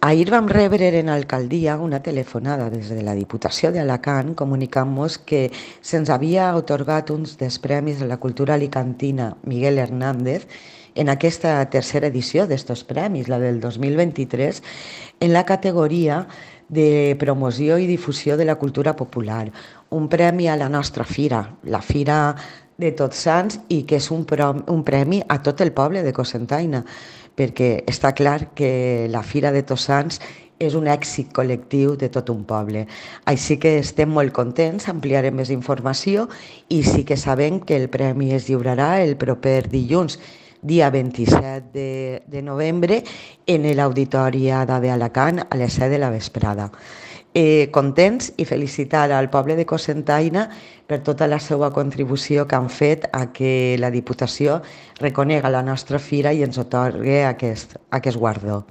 Ahir vam rebre en alcaldia una telefonada des de la Diputació d'Alacant comunicant-nos que se'ns havia atorgat uns dels premis de la cultura alicantina Miguel Hernández en aquesta tercera edició d'estos premis, la del 2023, en la categoria de promoció i difusió de la cultura popular. Un premi a la nostra fira, la Fira de Tots Sants, i que és un premi a tot el poble de Cocentaina, perquè està clar que la Fira de Tots Sants és un èxit col·lectiu de tot un poble. Així que estem molt contents, ampliarem més informació i sí que sabem que el premi es lliurarà el proper dilluns, dia 27 de novembre, en l'Auditori Ada d'Alacant a les 7 de la vesprada. Contents i felicitar al poble de Cocentaina per tota la seva contribució que han fet a que la Diputació reconega la nostra fira i ens atorgui aquest guardó.